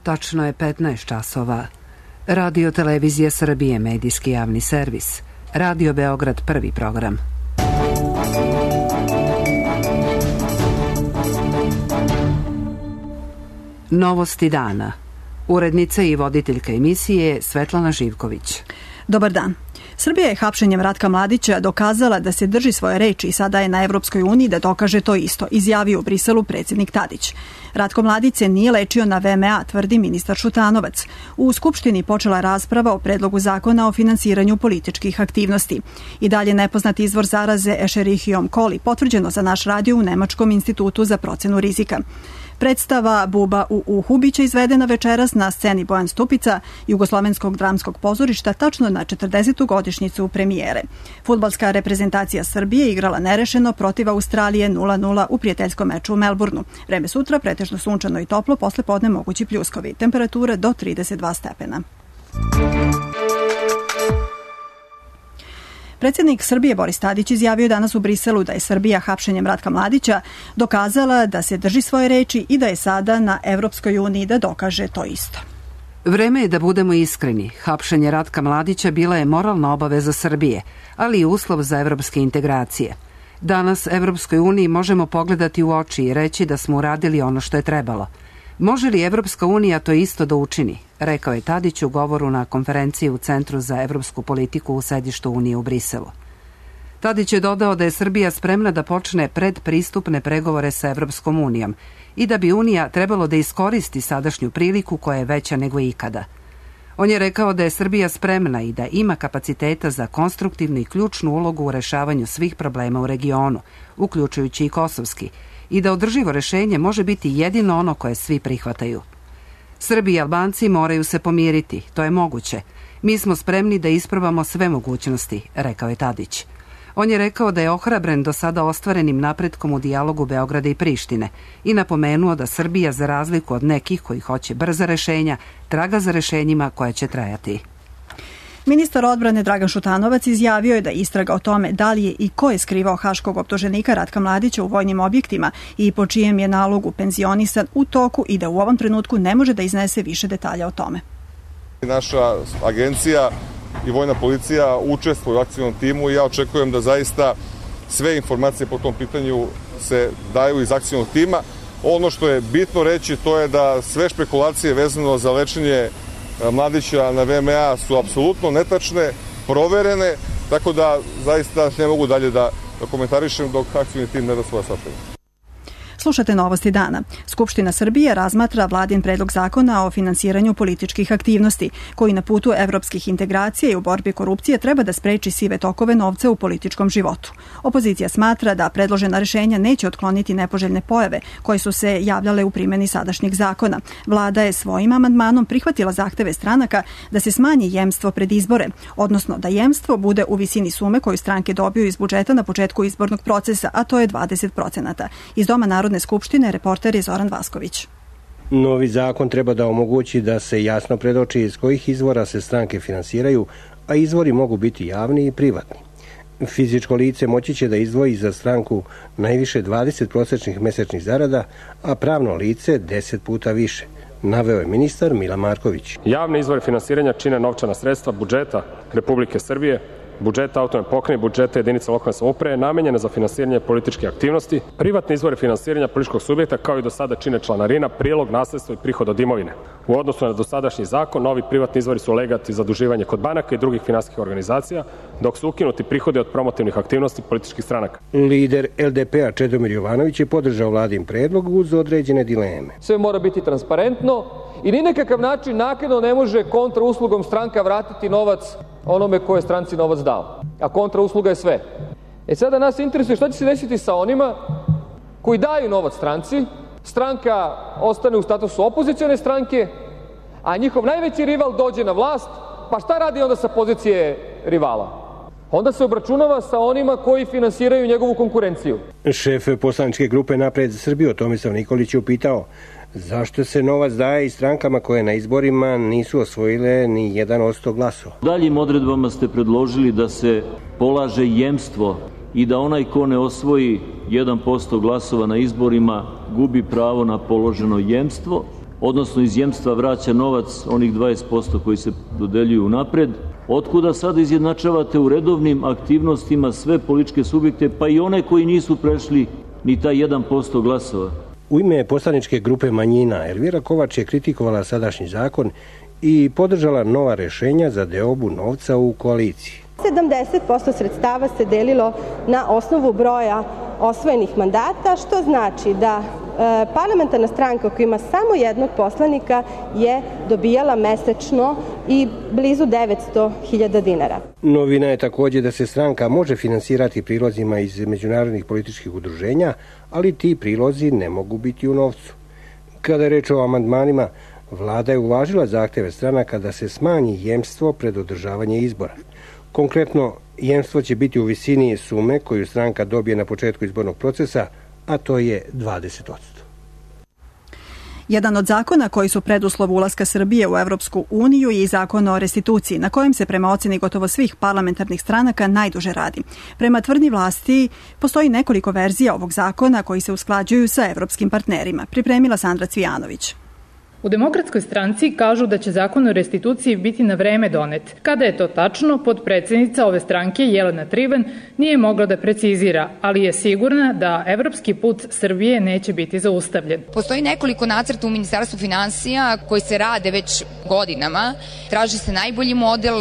Tačno je 15 časova. Radio Televizija Srbije, medijski javni servis. Radio Beograd, prvi program. Novosti dana. Urednica i voditeljka emisije Svetlana Živković. Dobar dan. Srbija je hapšenjem Ratka Mladića dokazala da se drži svoje reči i sada je na Evropskoj uniji da dokaže to isto, izjavio u Briselu predsjednik Tadić. Ratko Mladić se nije lečio na VMA, tvrdi ministar Šutanovac. U Skupštini počela rasprava o predlogu zakona o finansiranju političkih aktivnosti. I dalje nepoznat izvor zaraze Escherichiom coli, potvrđeno za naš radio u Nemačkom institutu za procenu rizika. Predstava Buba u uhu biće izvedena večeras na sceni Bojan Stupica, Jugoslovenskog dramskog pozorišta, tačno na 40. godišnjicu premijere. Fudbalska reprezentacija Srbije igrala nerešeno protiv Australije 0-0 u prijateljskom meču u Melbourneu. Vreme sutra pretežno sunčano i toplo, posle podne mogući pljuskovi. Temperature do 32 stepena. Predsjednik Srbije Boris Tadić izjavio danas u Briselu da je Srbija hapšenjem Ratka Mladića dokazala da se drži svoje reči i da je sada na Evropskoj uniji da dokaže to isto. Vreme je da budemo iskreni. Hapšenje Ratka Mladića bila je moralna obaveza Srbije, ali i uslov za evropske integracije. Danas Evropskoj uniji možemo pogledati u oči i reći da smo uradili ono što je trebalo. Može li Evropska unija to isto da učini? Rekao je Tadić u govoru na konferenciji u Centru za evropsku politiku u sedištu Unije u Briselu. Tadić je dodao da je Srbija spremna da počne predpristupne pregovore sa Evropskom unijom i da bi Unija trebalo da iskoristi sadašnju priliku koja je veća nego ikada. On je rekao da je Srbija spremna i da ima kapaciteta za konstruktivnu i ključnu ulogu u rešavanju svih problema u regionu, uključujući i kosovski, i da održivo rešenje može biti jedino ono koje svi prihvataju. Srbi i Albanci moraju se pomiriti, to je moguće. Mi smo spremni da isprobamo sve mogućnosti, rekao je Tadić. On je rekao da je ohrabren do sada ostvarenim napretkom u dijalogu Beograda i Prištine i napomenuo da Srbija, za razliku od nekih koji hoće brza rešenja, traga za rešenjima koja će trajati. Ministar odbrane Dragan Šutanovac izjavio je da istraga o tome da li je i ko je skrivao haškog optuženika Ratka Mladića u vojnim objektima i po čijem je nalogu penzionisan u toku i da u ovom trenutku ne može da iznese više detalja o tome. Naša agencija i vojna policija učestvuju u akcijnom timu i ja očekujem da zaista sve informacije po tom pitanju se daju iz akcijnog tima. Ono što je bitno reći to je da sve špekulacije vezano za lečenje Mladića na VMA su apsolutno netačne, proverene, tako da zaista ne mogu dalje da komentarišem dok akcijni tim ne da svoje saopštenje. Slušate Novosti dana. Skupština Srbije razmatra vladin predlog zakona o finansiranju političkih aktivnosti, koji na putu evropskih integracija i u borbi korupcije treba da spreči sive tokove novca u političkom životu. Opozicija smatra da predložena rešenja neće otkloniti nepoželjne pojave koje su se javljale u primjeni sadašnjeg zakona. Vlada je svojim amandmanom prihvatila zahteve stranaka da se smanji jemstvo pred izbore, odnosno da jemstvo bude u visini sume koju stranke dobiju iz budžeta na početku izbornog procesa, a to je 20%. Iz Doma Narodne skupštine reporter je Zoran Vasković. Novi zakon treba da omogući da se jasno predoči iz kojih izvora se stranke finansiraju, a izvori mogu biti javni i privatni. Fizičko lice moći će da izdvoji za stranku najviše 20 prosečnih mesečnih zarada, a pravno lice 10 puta više, naveo je ministar Mila Marković. Javne izvore finansiranja čine novčana sredstva budžeta Republike Srbije, budžeta autonomne pokrajine, budžeta jedinica lokalne samouprave namenjene za finansiranje političke aktivnosti, privatne izvore finansiranja političkog subjekta kao i do sada čine članarina, prilog, nasledstvo i prihod od imovine. U odnosu na dosadašnji zakon, novi privatni izvori su legat i zaduživanje kod banaka i drugih finansijskih organizacija, dok su ukinuti prihodi od promotivnih aktivnosti političkih stranaka. Lider LDP-a Čedomir Jovanović je podržao vladin predlog uz određene dileme. Sve mora biti transparentno i ni nekakav način naknadno ne može kontrauslugom stranka vratiti novac onome ko je stranci novac dao. A kontrausluga je sve. Sada nas interesuje šta će se desiti sa onima koji daju novac stranci, stranka ostane u statusu opozicione stranke, a njihov najveći rival dođe na vlast, pa šta radi onda sa pozicije rivala? Onda se obračunava sa onima koji finansiraju njegovu konkurenciju. Šef poslaničke grupe Napred za Srbiju Tomislav Nikolić je upitao zašto se novac daje i strankama koje na izborima nisu osvojile ni 1% glasova. Daljim odredbama ste predložili da se polaže jemstvo i da onaj ko ne osvoji 1% glasova na izborima gubi pravo na položeno jemstvo. odnosno iz jemstva vraća novac, onih 20% koji se dodeljuju napred. Otkuda sada izjednačavate u redovnim aktivnostima sve političke subjekte, pa i one koji nisu prešli ni taj 1% glasova? U ime poslaničke grupe manjina Elvira Kovač je kritikovala sadašnji zakon i podržala nova rešenja za deobu novca u koaliciji. 70% sredstava se delilo na osnovu broja osvojenih mandata, što znači da parlamentarna stranka koja ima samo jednog poslanika je dobijala mesečno i blizu 900.000 dinara. Novina je također da se stranka može finansirati prilozima iz međunarodnih političkih udruženja, ali ti prilozi ne mogu biti u novcu. Kada je reč o amandmanima, vlada je uvažila zahteve stranaka da se smanji jemstvo pred održavanje izbora. Konkretno, jemstvo će biti u visini sume koju stranka dobije na početku izbornog procesa, a to je 20%. Jedan od zakona koji su preduslov ulaska Srbije u Evropsku uniju je i zakon o restituciji, na kojem se prema oceni gotovo svih parlamentarnih stranaka najduže radi. Prema tvrdnji vlasti postoji nekoliko verzija ovog zakona koji se usklađuju sa evropskim partnerima. Pripremila Sandra Cvijanović. U Demokratskoj stranci kažu da će zakon o restituciji biti na vreme donet. Kada je to tačno, potpredsednica ove stranke Jelena Trivan nije mogla da precizira, ali je sigurna da evropski put Srbije neće biti zaustavljen. Postoji nekoliko nacrta u Ministarstvu finansija koji se rade već godinama. Traži se najbolji model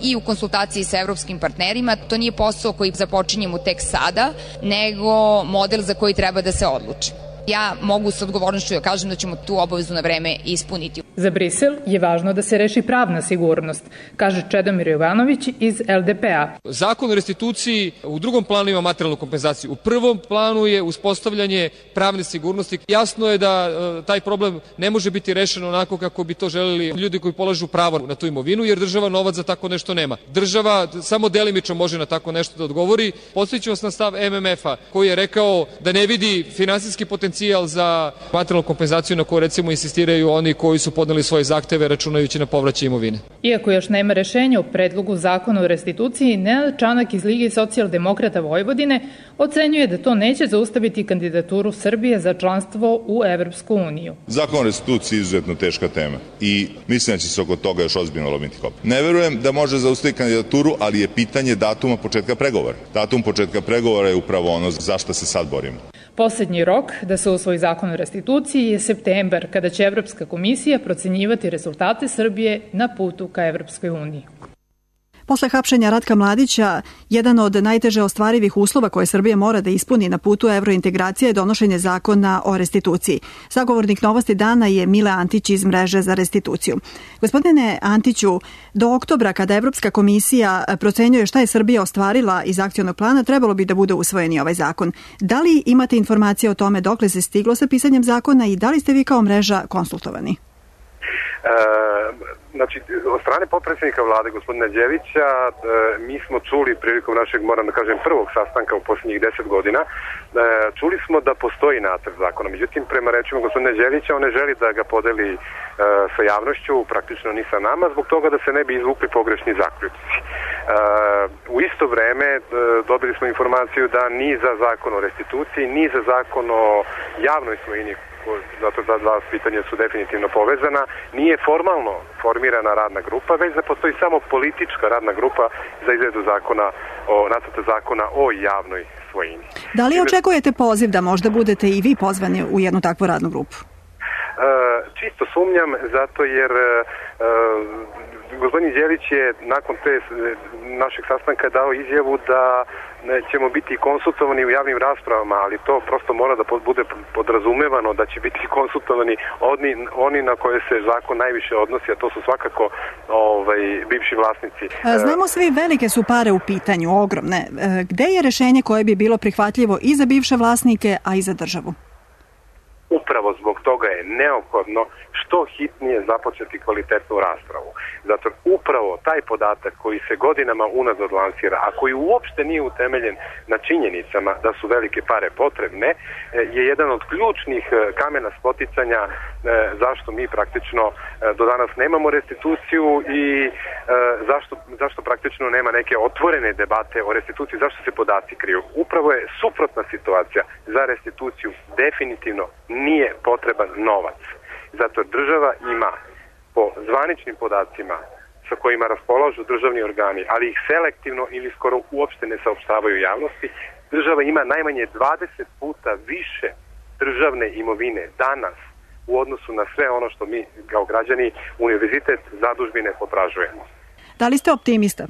i u konsultaciji sa evropskim partnerima. To nije posao koji započinjemo tek sada, nego model za koji treba da se odluči. Ja mogu s odgovornošću da kažem da ćemo tu obavezu na vreme ispuniti. Za Brisel je važno da se reši pravna sigurnost, kaže Čedomir Jovanović iz LDP-a. Zakon o restituciji u drugom planu ima materijalnu kompenzaciju. U prvom planu je uspostavljanje pravne sigurnosti. Jasno je da taj problem ne može biti rešen onako kako bi to želeli ljudi koji polažu pravo na tu imovinu, jer država novac za tako nešto nema. Država samo delimično može na tako nešto da odgovori. Podsjećam vas na stav MMF-a koji je rekao da ne vidi finansijski potencijal za materijalnu kompenzaciju na koju recimo insistiraju oni koji su podneli svoje zahteve računajući na povraćaj imovine. Iako još nema rešenja o predlogu zakona o restituciji, Nenad Čanak iz Lige socijaldemokrata Vojvodine ocenjuje da to neće zaustaviti kandidaturu Srbije za članstvo u Evropsku uniju. Zakon o restituciji je izuzetno teška tema i mislim da će se oko toga još ozbiljno lomiti koplja. Ne verujem da može zaustaviti kandidaturu, ali je pitanje datuma početka pregovora. Datum početka pregovora je upravo ono za što se sad borimo. Poslednji rok da se usvoji zakon o restituciji je septembar, kada će Evropska komisija procenjivati rezultate Srbije na putu ka Evropskoj uniji. Posle hapšenja Ratka Mladića, jedan od najteže ostvarivih uslova koje Srbija mora da ispuni na putu evrointegracije je donošenje zakona o restituciji. Sagovornik Novosti dana je Mile Antić iz Mreže za restituciju. Gospodine Antiću, do oktobra, kada Evropska komisija procenjuje šta je Srbija ostvarila iz akcionog plana, trebalo bi da bude usvojen i ovaj zakon. Da li imate informacije o tome dokle se stiglo sa pisanjem zakona i da li ste vi kao mreža konsultovani? Znači, od strane potpredsjednika vlade, gospodina Đevića, mi smo čuli prilikom našeg, moram da kažem, prvog sastanka u posljednjih 10 godina, čuli smo da postoji nacrt zakona. Međutim, prema rečima gospodina Đevića, on ne želi da ga podeli sa javnošću, praktično ni sa nama, zbog toga da se ne bi izvukli pogrešni zaključci. U isto vreme dobili smo informaciju da ni za zakon o restituciji, ni za zakon o javnoj svojini, zato da dva pitanja su definitivno povezana, nije formalno formirana radna grupa, već da postoji samo politička radna grupa za izradu nacrta zakona o javnoj svojini. Da li očekujete poziv da možda budete i vi pozvani u jednu takvu radnu grupu? Čisto sumnjam, zato jer gospodin Đelić je nakon te našeg sastanka dao izjavu da ćemo biti konsultovani u javnim raspravama, ali to prosto mora da bude podrazumevano da će biti konsultovani oni na koje se zakon najviše odnosi, a to su svakako bivši vlasnici. Znamo svi, velike su pare u pitanju, ogromne. Gde je rešenje koje bi bilo prihvatljivo i za bivše vlasnike, a i za državu? Upravo zbog toga je neophodno što hitnije započeti kvalitetnu raspravu. Zato upravo taj podatak koji se godinama unazad lansira, a koji uopšte nije utemeljen na činjenicama da su velike pare potrebne, je jedan od ključnih kamena spoticanja zašto mi praktično do danas nemamo restituciju i zašto praktično nema neke otvorene debate o restituciji, zašto se podaci kriju. Upravo je suprotna situacija. Za restituciju definitivno nije potreban novac. Zato država ima po zvaničnim podacima sa kojima raspolažu državni organi, ali ih selektivno ili skoro uopšte ne saopštavaju javnosti, država ima najmanje 20 puta više državne imovine danas u odnosu na sve ono što mi kao građani, univerzitet, zadužbine potražujemo. Da li ste optimista?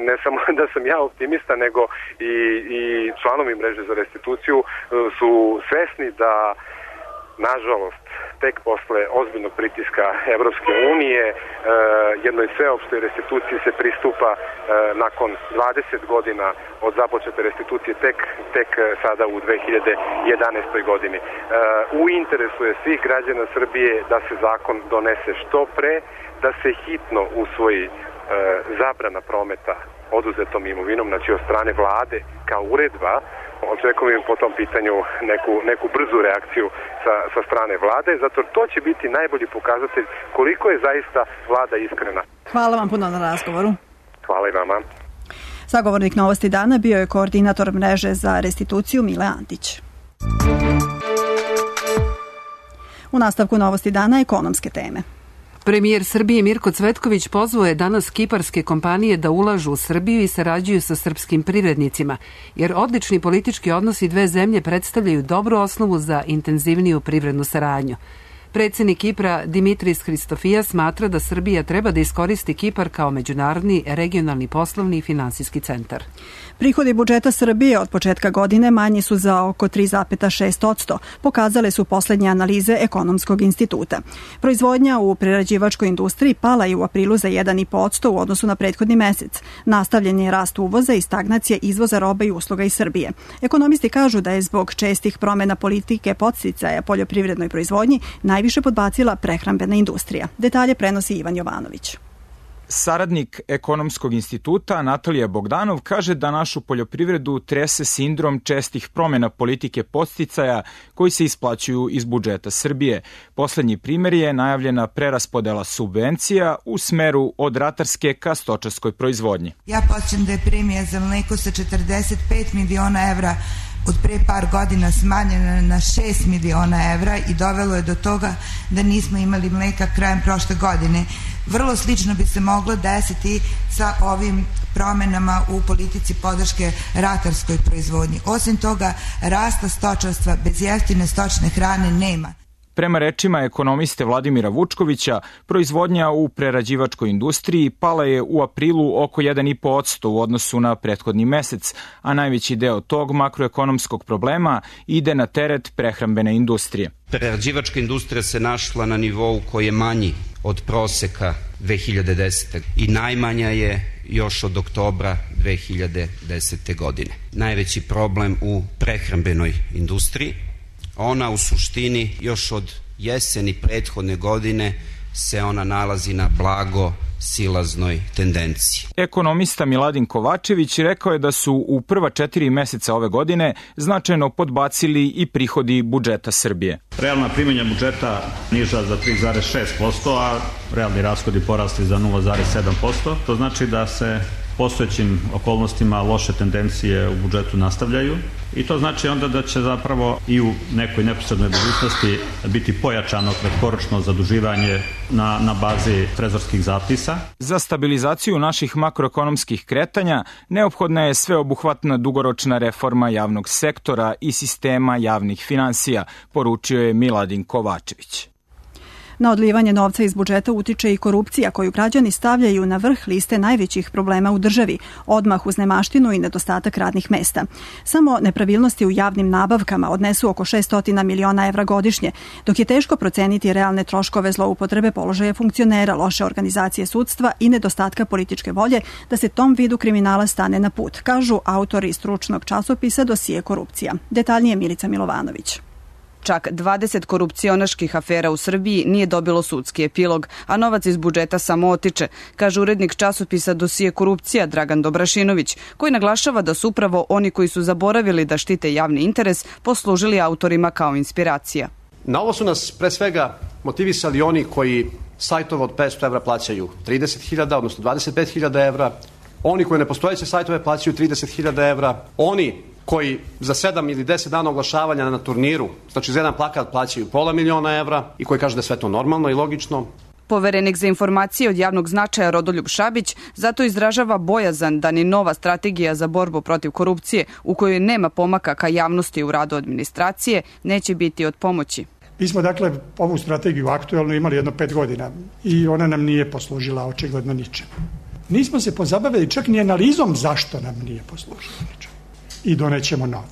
Ne samo da sam ja optimista, nego i članovi mreže za restituciju su svesni da, nažalost, tek posle ozbiljnog pritiska Evropske unije jednoj sveopštoj restituciji se pristupa nakon 20 godina od započete restitucije tek sada u 2011. godini. U interesu je svih građana Srbije da se zakon donese što pre, da se hitno usvoji zabrana prometa oduzetom imovinom, znači od strane vlade kao uredba. Očekujem po tom pitanju neku brzu reakciju sa strane vlade, zato to će biti najbolji pokazatelj koliko je zaista vlada iskrena. Hvala vam puno na razgovoru. Hvala i vama. Sagovornik Novosti dana bio je koordinator mreže za restituciju Mile Antić. U nastavku Novosti dana ekonomske teme. Premijer Srbije Mirko Cvetković pozvao je danas kiparske kompanije da ulažu u Srbiju i sarađuju sa srpskim privrednicima, jer odlični politički odnosi dve zemlje predstavljaju dobru osnovu za intenzivniju privrednu saradnju. Predsjednik Kipra Dimitris Christofijas smatra da Srbija treba da iskoristi Kipar kao međunarodni, regionalni, poslovni i finansijski centar. Prihodi budžeta Srbije od početka godine manji su za oko 3,6%, pokazale su poslednje analize Ekonomskog instituta. Proizvodnja u prerađivačkoj industriji pala je u aprilu za 1,5% u odnosu na prethodni mesec. Nastavljen je rast uvoza i stagnacija izvoza roba i usluga iz Srbije. Ekonomisti kažu da je zbog čestih promena politike podsticaja poljoprivrednoj proizvodnji najviše podbacila prehrambena industrija. Detalje prenosi Ivan Jovanović. Saradnik Ekonomskog instituta Natalija Bogdanov kaže da našu poljoprivredu trese sindrom čestih promjena politike podsticaja koji se isplaćuju iz budžeta Srbije. Poslednji primjer je najavljena preraspodela subvencija u smeru od ratarske ka stočarskoj proizvodnji. Ja podsjećam da je premija za mleko sa 45 miliona evra od pre par godina smanjena na 6 miliona evra i dovelo je do toga da nismo imali mleka krajem prošle godine. Vrlo slično bi se moglo desiti sa ovim promenama u politici podrške ratarskoj proizvodnji. Osim toga, rasta stočarstva bez jeftine stočne hrane nema. Prema rečima ekonomiste Vladimira Vučkovića, proizvodnja u prerađivačkoj industriji pala je u aprilu oko 1,5% u odnosu na prethodni mesec, a najveći deo tog makroekonomskog problema ide na teret prehrambene industrije. Prerađivačka industrija se našla na nivou koji je manji od proseka 2010. i najmanja je još od oktobra 2010. godine. Najveći problem u prehrambenoj industriji. Ona u suštini još od jeseni prethodne godine se ona nalazi na blago silaznoj tendenciji. Ekonomista Miladin Kovačević rekao je da su u prva 4 meseca ove godine značajno podbacili i prihodi budžeta Srbije. Realna primanja budžeta niža za 3,6%, a realni rashodi porasli za 0,7%. To znači da se postojećim okolnostima loše tendencije u budžetu nastavljaju i to znači onda da će zapravo i u nekoj neposrednoj budućnosti biti pojačano kratkoročno zaduživanje na bazi trezorskih zapisa. Za stabilizaciju naših makroekonomskih kretanja neophodna je sveobuhvatna dugoročna reforma javnog sektora i sistema javnih finansija, poručio je Miladin Kovačević. Na odlivanje novca iz budžeta utiče i korupcija koju građani stavljaju na vrh liste najvećih problema u državi, odmah uz nemaštinu i nedostatak radnih mesta. Samo nepravilnosti u javnim nabavkama odnesu oko 600 miliona evra godišnje, dok je teško proceniti realne troškove zloupotrebe položaja funkcionera, loše organizacije sudstva i nedostatka političke volje da se tom vidu kriminala stane na put, kažu autori stručnog časopisa Dosije korupcija. Detaljnije Milica Milovanović. Čak 20 korupcionaških afera u Srbiji nije dobilo sudski epilog, a novac iz budžeta samo otiče, kaže urednik časopisa Dosije korupcija Dragan Dobrašinović, koji naglašava da su upravo oni koji su zaboravili da štite javni interes poslužili autorima kao inspiracija. Na ovo su nas pre svega motivisali oni koji sajtove od 500 evra plaćaju 30.000, odnosno 25.000 evra, oni koji nepostojeće sajtove plaćaju 30.000 evra, oni koji za 7 ili 10 dana oglašavanja na turniru, znači za jedan plakat plaćaju $500.000 evra i koji kaže da je sve to normalno i logično. Poverenik za informacije od javnog značaja Rodoljub Šabić zato izražava bojazan da ni nova strategija za borbu protiv korupcije, u kojoj nema pomaka ka javnosti u radu administracije, neće biti od pomoći. Mi smo dakle ovu strategiju aktuelno imali jedno 5 godina i ona nam nije poslužila očigledno ničem. Nismo se pozabavili čak ni analizom zašto nam nije poslužila ničem. I donećemo novu.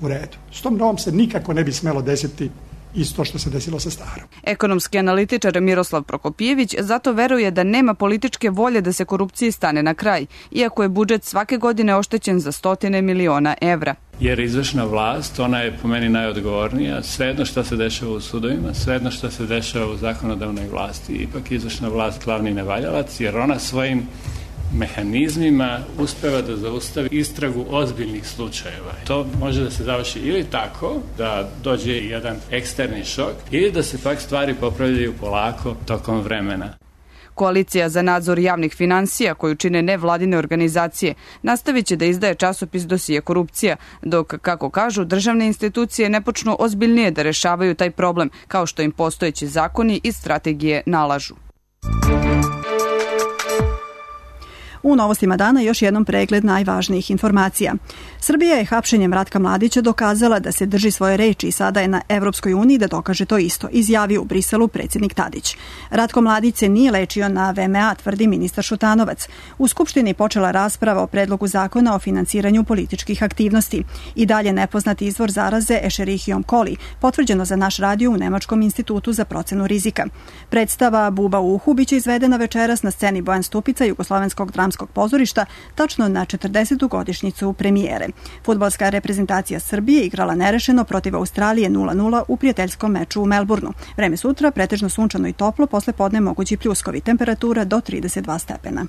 U redu. S tom novom se nikako ne bi smelo desiti isto što se desilo sa starom. Ekonomski analitičar Miroslav Prokopijević zato veruje da nema političke volje da se korupciji stane na kraj, iako je budžet svake godine oštećen za 100 miliona evra. Jer izvršna vlast, ona je po meni najodgovornija, svejedno što se dešava u sudovima, svejedno što se dešava u zakonodavnoj vlasti, ipak izvršna vlast glavni nevaljalac, jer ona svojim mehanizmima uspeva da zaustavi istragu ozbiljnih slučajeva. To može da se završi ili tako, da dođe jedan eksterni šok, ili da se pak stvari popravljaju polako tokom vremena. Koalicija za nadzor javnih finansija, koju čine nevladine organizacije, nastavit će da izdaje časopis Dosije korupcija, dok, kako kažu, državne institucije ne počnu ozbiljnije da rešavaju taj problem, kao što im postojeći zakoni i strategije nalažu. U novostima dana još jednom pregled najvažnijih informacija. Srbija je hapšenjem Ratka Mladića dokazala da se drži svoje reči i sada je na Evropskoj uniji da dokaže to isto, izjavio u Briselu predsjednik Tadić. Ratko Mladić se nije lečio na VMA, tvrdi ministar Šutanovac. U Skupštini počela rasprava o predlogu zakona o finansiranju političkih aktivnosti. I dalje nepoznati izvor zaraze Escherichiom coli, potvrđeno za naš radio u Nemačkom institutu za procenu rizika. Predstava Buba u uhu biće izvedena večeras na sceni Bojan Stupica Jugoslovenskog dramskog pozorišta, tačno na 40. godišnjicu premijere. Fudbalska reprezentacija Srbije igrala nerešeno protiv Australije 0-0 u prijateljskom meču u Melbourneu. Vreme sutra pretežno sunčano i toplo, posle podne mogući pljuskovi, temperatura do 32 stepena.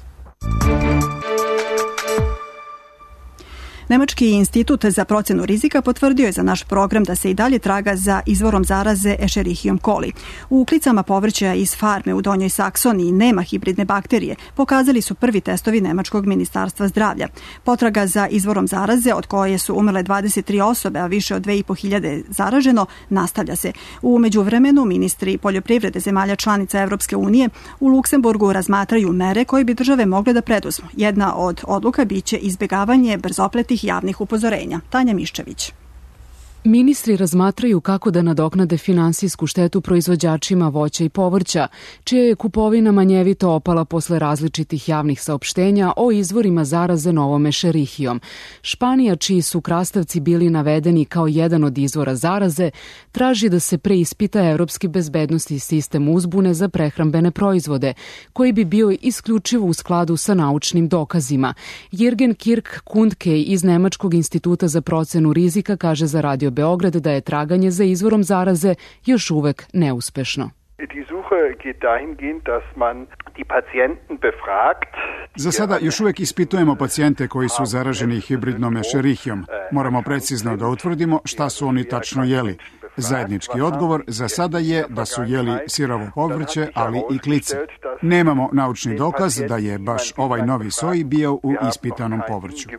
Nemački institut za procenu rizika potvrdio je za naš program da se i dalje traga za izvorom zaraze Escherichiom coli. U uklicama povrća iz farme u Donjoj Saksoniji nema hibridne bakterije, pokazali su prvi testovi Nemačkog ministarstva zdravlja. Potraga za izvorom zaraze, od koje su umrle 23 osobe, a više od 2500 zaraženo, nastavlja se. U međuvremenu ministri poljoprivrede zemalja članica Evropske unije u Luksemburgu razmatraju mere koje bi države mogle da preduzmu. Jedna od odluka biće izbjegavanje brzopletih javnih upozorenja. Tanja Miščević. Ministri razmatraju kako da nadoknade finansijsku štetu proizvođačima voća i povrća, čija je kupovina manjevito opala posle različitih javnih saopštenja o izvorima zaraze novom Escherichiom. Španija, čiji su krastavci bili navedeni kao jedan od izvora zaraze, traži da se preispita evropski bezbednosni sistem uzbune za prehrambene proizvode, koji bi bio isključivo u skladu sa naučnim dokazima. Jürgen Kirk-Kundke iz Nemačkog instituta za procenu rizika kaže za Radio Beograd da je traganje za izvorom zaraze još uvek neuspešno. Za sada još uvek ispitujemo pacijente koji su zaraženi hibridnom Escherichiom. Moramo precizno da utvrdimo šta su oni tačno jeli. Zajednički odgovor za sada je da su jeli sirovo povrće, ali i klice. Nemamo naučni dokaz da je baš ovaj novi soj bio u ispitanom povrću.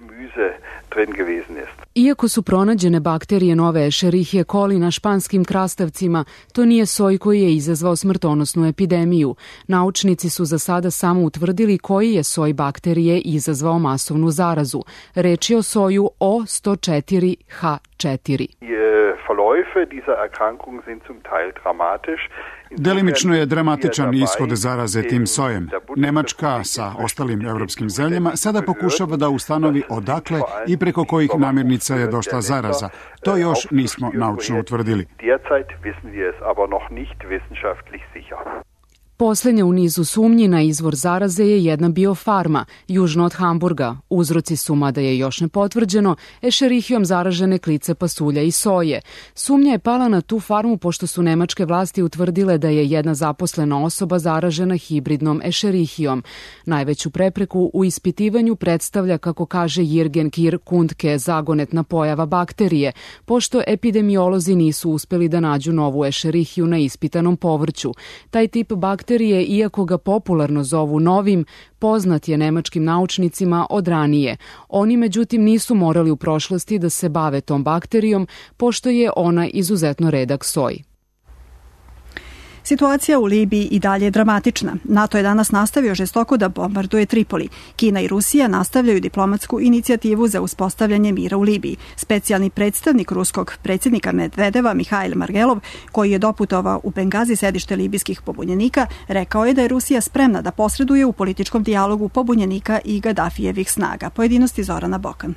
Iako su pronađene bakterije nove Escherichie coli na španskim krastavcima, to nije soj koji je izazvao smrtonosnu epidemiju. Naučnici su za sada samo utvrdili koji je soj bakterije izazvao masovnu zarazu. Reč je o soju O104H4. Delimično je dramatičan ishod zaraze tim sojem. Nemačka sa ostalim evropskim zemljama sada pokušava da ustanovi odakle i preko kojih namirnica je došla zaraza. To još nismo naučno utvrdili. Poslednja u nizu sumnji na izvor zaraze je jedna biofarma, južno od Hamburga. Uzroci su, mada je još ne potvrđeno, Escherichiom zaražene klice pasulja i soje. Sumnja je pala na tu farmu pošto su nemačke vlasti utvrdile da je jedna zaposlena osoba zaražena hibridnom Escherichiom. Najveću prepreku u ispitivanju predstavlja, kako kaže Jürgen Kirk-Kundke, zagonetna pojava bakterije, pošto epidemiolozi nisu uspeli da nađu novu Escherichiju na ispitanom povrću. Taj tip bakterije bakterije, iako ga popularno zovu novim, poznat je nemačkim naučnicima od ranije. Oni međutim nisu morali u prošlosti da se bave tom bakterijom, pošto je ona izuzetno redak soj. Situacija u Libiji i dalje je dramatična. NATO je danas nastavio žestoko da bombarduje Tripoli. Kina i Rusija nastavljaju diplomatsku inicijativu za uspostavljanje mira u Libiji. Specijalni predstavnik ruskog predsjednika Medvedeva, Mihail Margelov, koji je doputovao u Bengazi, sedište libijskih pobunjenika, rekao je da je Rusija spremna da posreduje u političkom dijalogu pobunjenika i Gadafijevih snaga. Pojedinosti Zorana Bokan.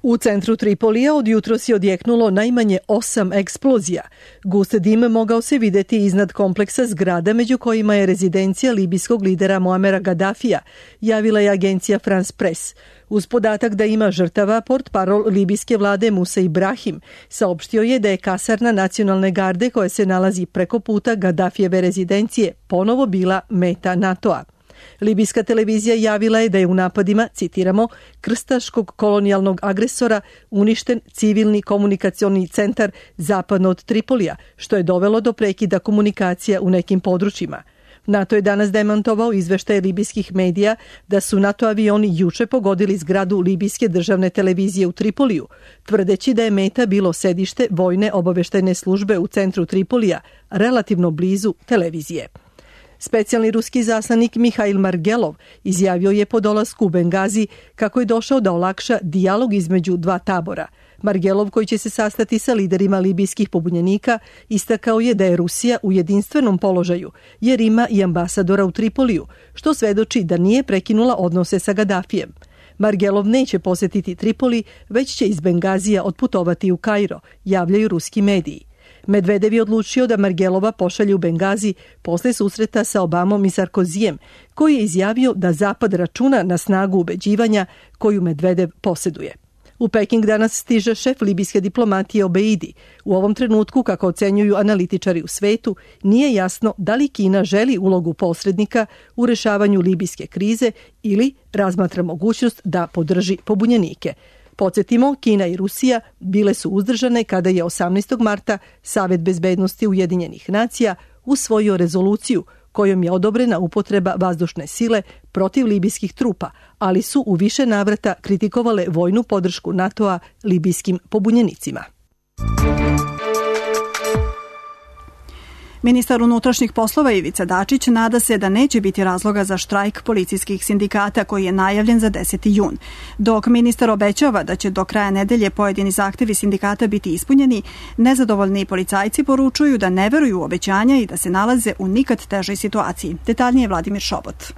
U centru Tripolija od jutros je odjeknulo najmanje 8 eksplozija. Gust dim mogao se videti iznad kompleksa zgrada među kojima je rezidencija libijskog lidera Muamera Gadafija, javila je agencija France Press. Uz podatak da ima žrtava, portparol libijske vlade Musa Ibrahim saopštio je da je kasarna nacionalne garde koja se nalazi preko puta Gadafijeve rezidencije ponovo bila meta NATO-a. Libijska televizija javila je da je u napadima, citiramo, krstaškog kolonijalnog agresora uništen civilni komunikacioni centar zapadno od Tripolija, što je dovelo do prekida komunikacija u nekim područjima. NATO je danas demantovao izveštaje libijskih medija da su NATO avioni juče pogodili zgradu libijske državne televizije u Tripoliju, tvrdeći da je meta bilo sedište vojne obaveštajne službe u centru Tripolija, relativno blizu televizije. Specijalni ruski zaslanik Mihail Margelov izjavio je po dolasku u Bengazi kako je došao da olakša dijalog između dva tabora. Margelov, koji će se sastati sa liderima libijskih pobunjenika, istakao je da je Rusija u jedinstvenom položaju jer ima i ambasadora u Tripoliju, što svedoči da nije prekinula odnose sa Gadafijem. Margelov neće posjetiti Tripoli, već će iz Bengazija otputovati u Kairo, javljaju ruski mediji. Medvedev je odlučio da Margelova pošalje u Bengazi posle susreta sa Obamom i Sarkozijem, koji je izjavio da Zapad računa na snagu ubeđivanja koju Medvedev posjeduje. U Peking danas stiže šef libijske diplomatije Obeidi. U ovom trenutku, kako ocenjuju analitičari u svetu, nije jasno da li Kina želi ulogu posrednika u rešavanju libijske krize ili razmatra mogućnost da podrži pobunjenike. Podsjetimo, Kina i Rusija bile su uzdržane kada je 18. marta Savet bezbednosti Ujedinjenih nacija usvojio rezoluciju kojom je odobrena upotreba vazdušne sile protiv libijskih trupa, ali su u više navrata kritikovale vojnu podršku NATO-a libijskim pobunjenicima. Ministar unutrašnjih poslova Ivica Dačić nada se da neće biti razloga za štrajk policijskih sindikata koji je najavljen za 10. jun. Dok ministar obećava da će do kraja nedelje pojedini zahtevi sindikata biti ispunjeni, nezadovoljni policajci poručuju da ne veruju u obećanja i da se nalaze u nikad težoj situaciji. Detaljnije Vladimir Šobot.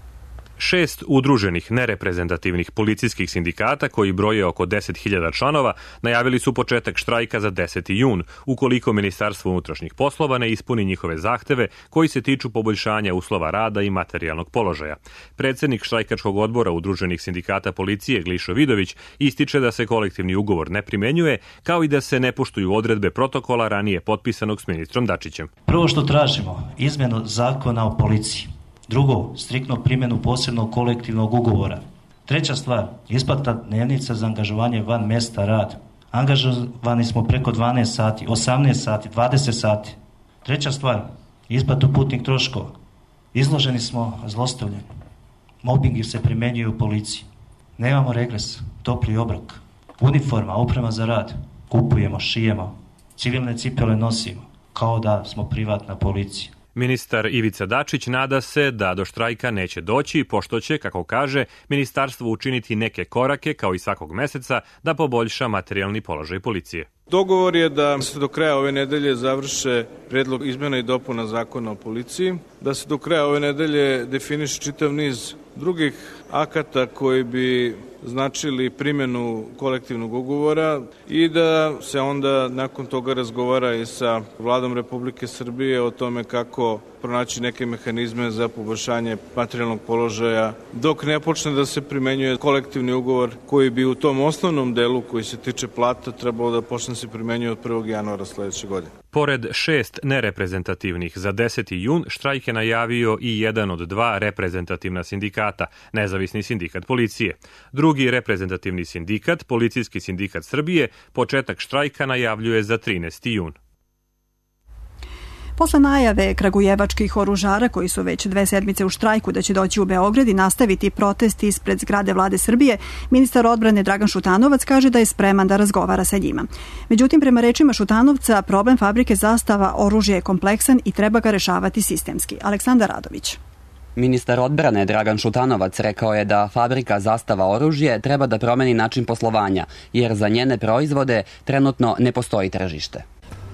6 udruženih nereprezentativnih policijskih sindikata koji broje oko 10.000 članova najavili su početak štrajka za 10. jun ukoliko Ministarstvo unutrašnjih poslova ne ispuni njihove zahteve koji se tiču poboljšanja uslova rada i materijalnog položaja. Predsjednik štrajkačkog odbora udruženih sindikata policije Glišo Vidović ističe da se kolektivni ugovor ne primenjuje kao i da se ne poštuju odredbe protokola ranije potpisanog s ministrom Dačićem. Prvo što tražimo, izmjenu zakona o policiji. Drugo, striktnu primjenu posebnog kolektivnog ugovora. Treća stvar, isplata dnevnica za angažovanje van mjesta rada. Angažovani smo preko 12 sati, 18 sati, 20 sati. Treća stvar, isplatu putnih troškova. Izloženi smo zlostavljanju. Mobbingi se primjenjuju u policiji. Nemamo regres, topli obrok. Uniforma, oprema za rad. Kupujemo, šijemo. Civilne cipele nosimo, kao da smo privatna policija. Ministar Ivica Dačić nada se da do štrajka neće doći, pošto će, kako kaže, ministarstvo učiniti neke korake, kao i svakog meseca, da poboljša materijalni položaj policije. Dogovor je da se do kraja ove nedelje završe predlog izmjena i dopuna zakona o policiji, da se do kraja ove nedelje definiše čitav niz drugih akata koji bi značili primjenu kolektivnog ugovora i da se onda nakon toga razgovara i sa Vladom Republike Srbije o tome kako pronaći neke mehanizme za poboljšanje materijalnog položaja dok ne počne da se primenjuje kolektivni ugovor koji bi u tom osnovnom delu koji se tiče plata trebalo da počne se primenjuje od 1. januara sledeće godine. Pored 6 nereprezentativnih za 10. jun, štrajk je najavio i jedan od 2 reprezentativna sindikata, Nezavisni sindikat policije. Drugi reprezentativni sindikat, Policijski sindikat Srbije, početak štrajka najavljuje za 13. jun. Posle najave kragujevačkih oružara koji su već 2 sedmice u štrajku da će doći u Beograd i nastaviti protest ispred zgrade Vlade Srbije, ministar odbrane Dragan Šutanovac kaže da je spreman da razgovara sa njima. Međutim, prema rečima Šutanovca, problem fabrike Zastava oružja je kompleksan i treba ga rešavati sistemski. Aleksandar Radović. Ministar odbrane Dragan Šutanovac rekao je da fabrika Zastava oružje treba da promeni način poslovanja, jer za njene proizvode trenutno ne postoji tržište.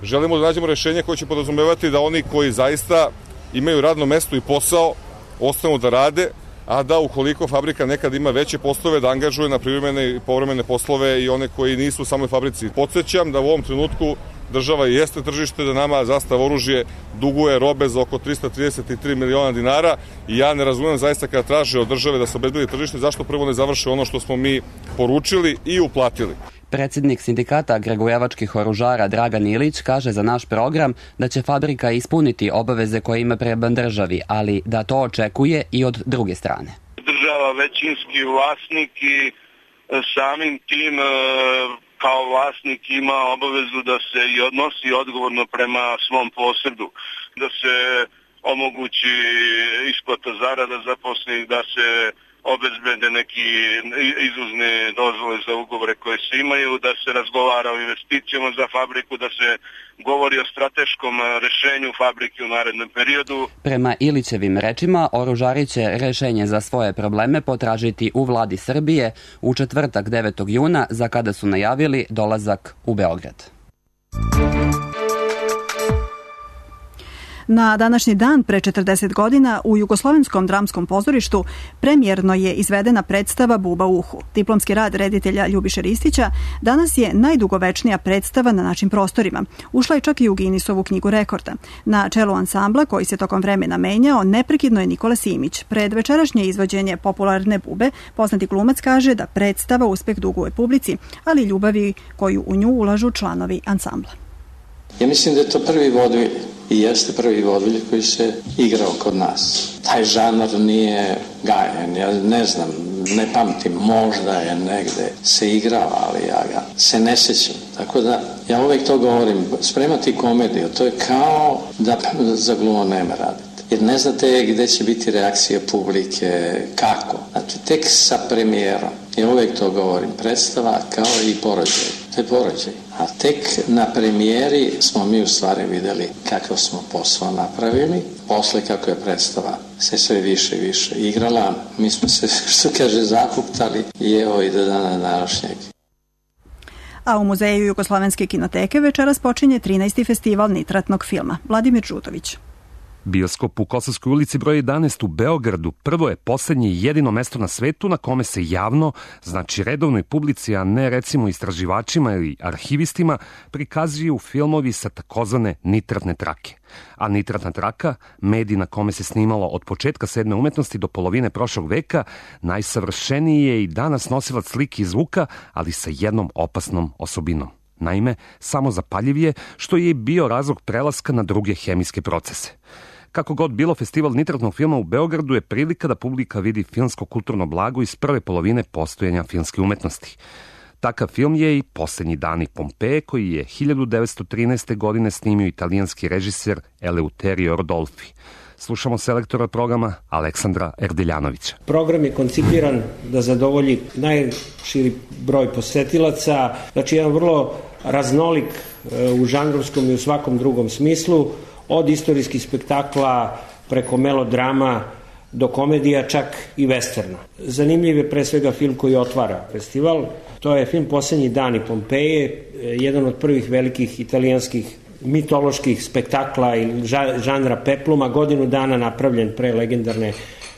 Želimo da nađemo rešenje koje će podrazumevati da oni koji zaista imaju radno mesto i posao ostanu da rade, a da ukoliko fabrika nekad ima veće poslove da angažuje na privremene i povremene poslove i one koji nisu u samoj fabrici. Podsjećam da u ovom trenutku država jeste tržište, da nama Zastava oružje duguje robe za oko 333 miliona dinara i ja ne razumem zaista kada traže od države da se obezbedi tržište, zašto prvo ne završe ono što smo mi poručili i uplatili. Predsjednik sindikata kragujevačkih oružara Dragan Ilić kaže za naš program da će fabrika ispuniti obaveze koje ima prema državi, ali da to očekuje i od druge strane. Država većinski vlasnik i samim tim kao vlasnik ima obavezu da se i odnosi odgovorno prema svom posedu, da se omogući isplata zarada zaposlenih, da se obezbede neki izvozne dozvole za ugovore koje se imaju, da se razgovara o investicijama za fabriku, da se govori o strateškom rešenju fabrike u narednom periodu. Prema Ilićevim rečima, oružari će rešenje za svoje probleme potražiti u Vladi Srbije u četvrtak 9. juna, za kada su najavili dolazak u Beograd. Na današnji dan pre 40 godina u Jugoslovenskom dramskom pozorištu premijerno je izvedena predstava Buba u uhu. Diplomski rad reditelja Ljubiše Ristića danas je najdugovečnija predstava na našim prostorima. Ušla je čak i u Guinnessovu knjigu rekorda. Na čelu ansambla, koji se tokom vremena menjao, neprekidno je Nikola Simić. Pred večerašnje izvođenje popularne Bube, poznati glumac kaže da predstava uspeh duguje publici, ali i ljubavi koju u nju ulažu članovi ansambla. Ja mislim da je to prvi vodvilj i jeste prvi vodvilj koji se igrao kod nas. Taj žanr nije gajen, ja ne znam, ne pamtim, možda je negde se igrao, ali ja ga se ne sjećam. Tako da ja uvek to govorim, spremati komediju, to je kao da za glumo nema raditi. Jer ne znate gde će biti reakcija publike, kako. Znači, tek sa premijerom, ja uvek to govorim, predstava kao i porođaj. To je porođaj. A tek na premijeri smo mi u stvari videli kakav smo posao napravili. Posle kako je predstava se sve više i više igrala, mi smo se, što kaže, zakuktali i evo i do dana današnjeg. A u Muzeju Jugoslovenske kinoteke večeras počinje 13. festival nitratnog filma. Vladimir Žutović. Bioskop u Kosovskoj ulici broj 11 u Beogradu prvo je poslednje i jedino mesto na svetu na kome se javno, znači redovnoj publici, a ne recimo istraživačima ili arhivistima, prikazuju filmovi sa takozvane nitratne trake. A nitratna traka, medij na kome se snimalo od početka sedme umetnosti do polovine prošlog veka, najsavršeniji je i danas nosilac slike i zvuka, ali sa jednom opasnom osobinom. Naime, samozapaljiv je, što je bio razlog prelaska na druge hemijske procese. Kako god bilo, festival nitratnog filma u Beogradu je prilika da publika vidi filmsko kulturno blago iz prve polovine postojanja filmske umetnosti. Takav film je i Poslednji dani Pompeje, koji je 1913. godine snimio italijanski režiser Eleuterio Rodolfi. Slušamo selektora programa Aleksandra Erdeljanovića. Program je koncipiran da zadovolji najširi broj posetilaca, znači jedan vrlo raznolik u žanrovskom i u svakom drugom smislu, od istorijskih spektakla preko melodrama do komedija, čak i westerna. Zanimljiv je pre svega film koji otvara festival. To je film Poslednji dani Pompeje, jedan od prvih velikih italijanskih mitoloških spektakla i žanra pepluma, godinu dana napravljen pre legendarne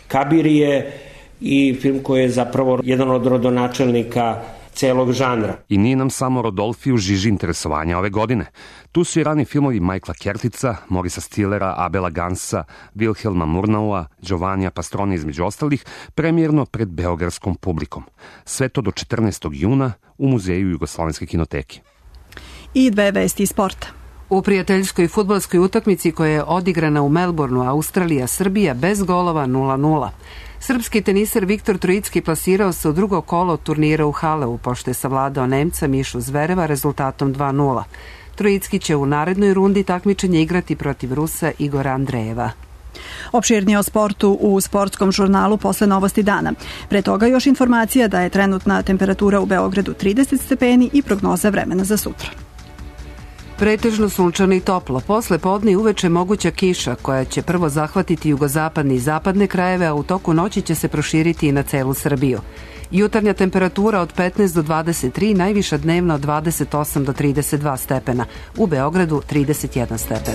Kabirije i film koji je zapravo jedan od rodonačelnika celog žanra. I nije nam samo Rodolfi u žiži interesovanja ove godine. Tu su i rani filmovi Michaela Kertica, Morisa Stillera, Abela Gansa, Wilhelma Murnaua, Giovannija Pastroni između ostalih, premijerno pred beogradskom publikom. Sve to do 14. juna u Muzeju Jugoslovenske kinoteke. I 2 vesti iz sporta. U prijateljskoj fudbalskoj utakmici koja je odigrana u Melbourneu, Australija-Srbija bez golova 0-0. Srpski teniser Viktor Trojicki plasirao se u drugo kolo turnira u Haleu, pošto je savladao Nemca Mišu Zvereva rezultatom 2:0. Trojicki će u narednoj rundi takmičenja igrati protiv Rusa Igora Andrejeva. Opširnije o sportu u sportskom žurnalu posle Novosti dana. Pre toga još informacija da je trenutna temperatura u Beogradu 30 stepeni i prognoza vremena za sutra. Pretežno sunčano i toplo. Posle podne i uveče moguća kiša koja će prvo zahvatiti jugozapadne i zapadne krajeve, a u toku noći će se proširiti i na celu Srbiju. Jutarnja temperatura od 15 do 23, najviša dnevna od 28 do 32 stepena. U Beogradu 31 stepen.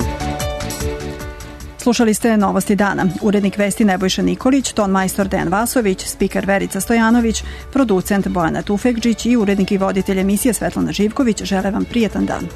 Slušali ste Novosti dana. Urednik vesti Nebojša Nikolić, ton majstor Dejan Vasović, spiker Verica Stojanović, producent Bojana Tufekđić i urednik i voditelj emisije Svetlana Živković žele vam prijetan dan.